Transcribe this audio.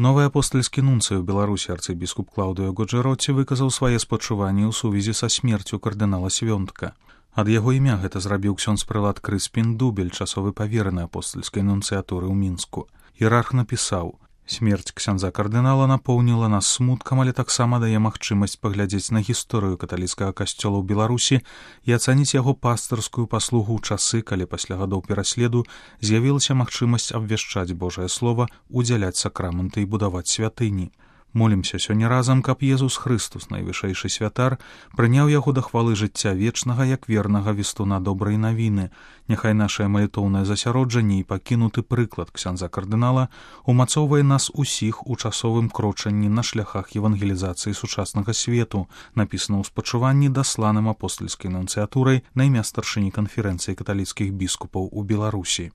Новы апостальскі нунцый у Беларусі арцыбіскуп Клаўдыо Годжэроці выказаў свае спачуванні ў сувязі са смерцю кардынала Свёнтка. Ад яго імя гэта зрабіў ксёндз прэлат Крыспін Дубель, часовы павераны апостальскай нунцыятуры ў Мінску. Іерарх напісаў: «Смерць ксяндза кардынала напоўніла нас смуткам, але таксама дае магчымасць паглядзець на гісторыю каталіцкага касцёла ў Беларусі і ацаніць яго пастырскую паслугу ў часы, калі пасля гадоў пераследу з'явілася магчымасць абвяшчаць Божае Слова, удзяляць сакрамэнты і будаваць святыні. Молімся сёння разам, каб Езус Хрыстус, найвышэйшы святар, прыняў яго да хвалы жыцця вечнага як вернага вестуна добрай навіны. Няхай нашае малітоўнае засяроджанне і пакінуты прыклад ксяндза кардынала умацоўвае нас усіх у часовым крочанні на шляхах евангелізацыі сучаснага свету, напісана ў спачуванні дасланым апостальскай нунцыятурай на імя старшыні канферэнцыі каталіцкіх біскупаў у Беларусі.